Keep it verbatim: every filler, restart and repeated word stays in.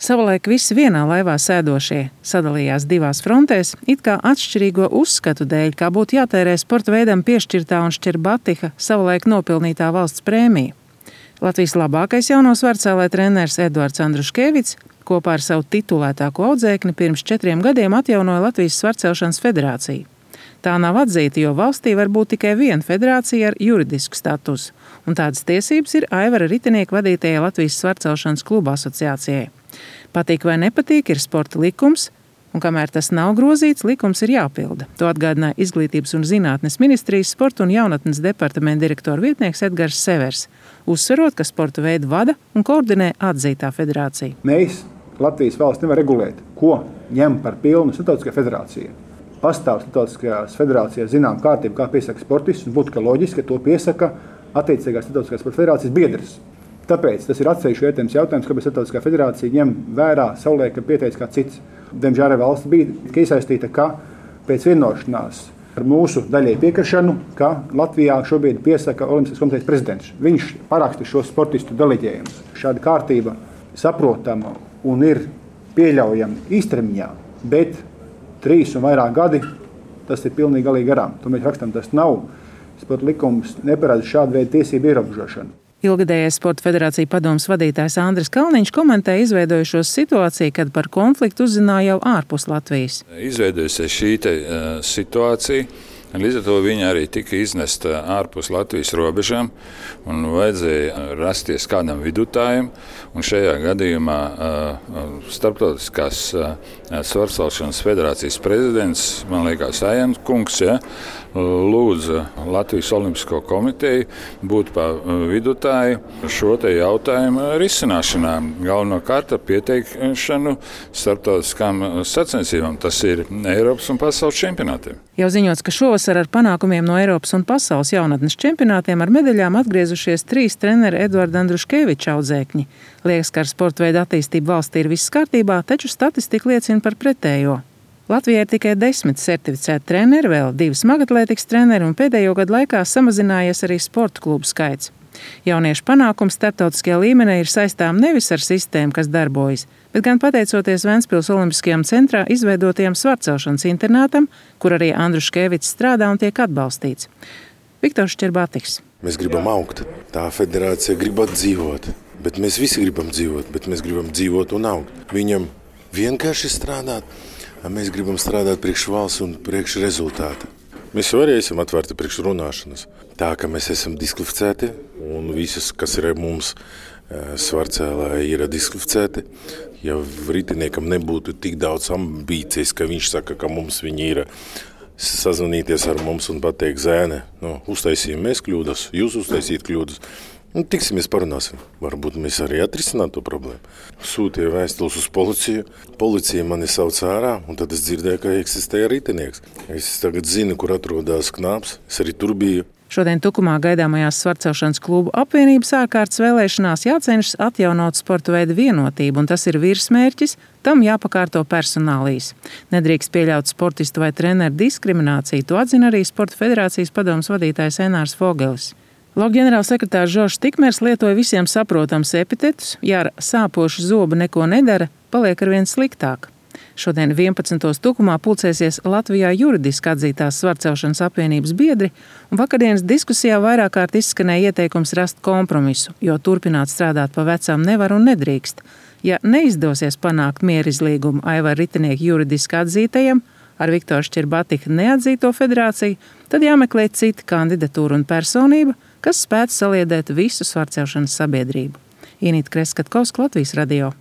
Savulaik visi vienā laivā sēdošie sadalījās divās frontēs, it kā atšķirīgo uzskatu dēļ, kā būtu jātērē sporta veidam piešķirtā un Šķerbatiha savulaik nopelnītā valsts prēmija. Latvijas labākais jauno svarcēlē treneris Eduards Andruškevics kopā ar savu titulētāko audzēkni pirms četriem gadiem atjaunoja Latvijas svarcelšanas federāciju. Tā nav atzīta, jo valstī var būt tikai viena federācija ar juridisku statusu, un tādas tiesības ir Aivara Ritinieku vadītajai Latvijas svarcelšanas kluba asociācijai. Patīk vai nepatīk ir sporta likums, un kamēr tas nav grozīts, likums ir jāpilda. To atgādināja Izglītības un zinātnes ministrijas sporta un jaunatnes departamenta direktora vietnieks Edgars Severs, uzsverot, ka sporta veidu vada un koordinē atzītā federācija. Mēs, Latvijas valsts, nevar regulēt, ko ņem par pilnu starptautiskā federācija. Pastāv starptautiskajās federācijās zinām kārtību, kā piesaka sportistus, un būtu, ka loģiski, ka to piesaka attiecīgās starptautiskās sporta federācijas biedrs. Tāpēc tas ir atsevišķi vērtējums jautājums, kāpēc starptautiskā federācija ņem vērā savulaik, ka pieteicis kā cits. Diemžēl valsts bija iesaistīta, ka pēc vienošanās ar mūsu daļai piekrišanu, ka Latvijā šobrīd piesaka Olimpiskās komitejas prezidents. Viņš paraksta šo sportistu deleģējumus. Šāda kārtība saprotama un ir pieļaujama īstermiņā, bet trīs un vairāk gadi tas ir pilnīgi galīgi garām. To mēs rakstam, tas nav. Sporta likums neparāda šādu veidu tiesību ierobežošanu. Ilgadējais Sporta federācija padomes vadītājs Andris Kalniņš komentēja izveidojušos situāciju, kad par konfliktu uzzināja jau ārpus Latvijas. Izveidojusies šī te, uh, situācija, līdz ar to viņa arī tika iznesta ārpus Latvijas robežām un vajadzēja rasties kādam vidutājam. Un šajā gadījumā uh, starptautiskās uh, svarcelšanas federācijas prezidents, man liekas, Ajans kungs, ja, lūdza Latvijas Olimpisko komiteju būt pa vidutāju šo te jautājumu risināšanā. Galvenokārt ar pieteikšanu starptautiskām sacensībām. Tas ir Eiropas un pasaules čempionātiem. Jau ziņots, ka šovasar ar panākumiem no Eiropas un pasaules jaunatnes čempionātiem ar medaļām atgriezušies trīs treneri Eduarda Andruškeviča audzēkņi. Liekas, ka ar sporta veidu attīstību valstī ir viss kārtībā, taču statistika liecina par pretējo. Latvijā ir tikai desmit certificēti treneri, vēl divi smagatlētikas treneri un pēdējo gadu laikā samazinājies arī sporta klubu skaits. Jauniešu panākums starptautiskajā līmenī ir saistām nevis ar sistēmu, kas darbojas, bet gan pateicoties Ventspils Olimpiskajam centrā izveidotajam svarcelšanas internātam, kur arī Andruškevics strādā un tiek atbalstīts. Viktors Šķerbatiks. Mēs gribam augt. Tā federācija grib dzīvot, bet mēs visi gribam dzīvot, bet mēs gribam dzīvot un augt. Viņam vienkārši strādāt. Mēs gribam strādāt priekš valsts un priekš rezultāta. Mēs jau arī esam atvērti priekš runāšanas. Tā, ka mēs esam diskvalificēti un visas, kas ir mums svarcēlā, ir diskvalificēti. Ja ritiniekam nebūtu tik daudz ambīcijas, ka viņš saka, ka mums viņi ir sazvanīties ar mums un pateikt, zēne, nu, uztaisījām mēs kļūdas, jūs uztaisīt kļūdas. Nu, tiksimies, parunāsim. Varbūt mēs arī atrisinām to problēmu. Sūtīja vēstules uz policiju. Policija mani sauc ārā, un tad es dzirdēju, ka eksistēja ritinieks. Es tagad zinu, kur atrodas knāps. Es arī tur biju. Šodien Tukumā gaidāmajās svarcelšanas klubu apvienības ārkārtas vēlēšanās jācenšas atjaunot sporta veidu vienotību, un tas ir virsmērķis, tam jāpakārto personālijas. Nedrīkst pieļaut sportistu vai treneru diskrimināciju, to atzina arī Sporta federācijas padomes vadītājs Enārs Fogelis. Loka ģenerālsekretārs Žoržs Tikmers lietoja visiem saprotams epitetus, ja ar sāpošu zobu neko nedara, paliek arvien sliktāk. Šodien vienpadsmitos Tukumā pulcēsies Latvijā juridiski atzītās svarcelšanas apvienības biedri, un vakardienas diskusijā vairāk kārt izskanēja ieteikums rast kompromisu, jo turpināt strādāt pa vecām nevar un nedrīkst. Ja neizdosies panākt mierizlīgumu Aivara Ritinieku juridiski atzītajam, ar Viktoru Šķerbatiha neatzīto federāciju, tad jāmeklē cita kandidatūra un personība, kas spētu saliedēt visu svarcelšanas sabiedrību. Inīta Kreskatkovska, Latvijas radio.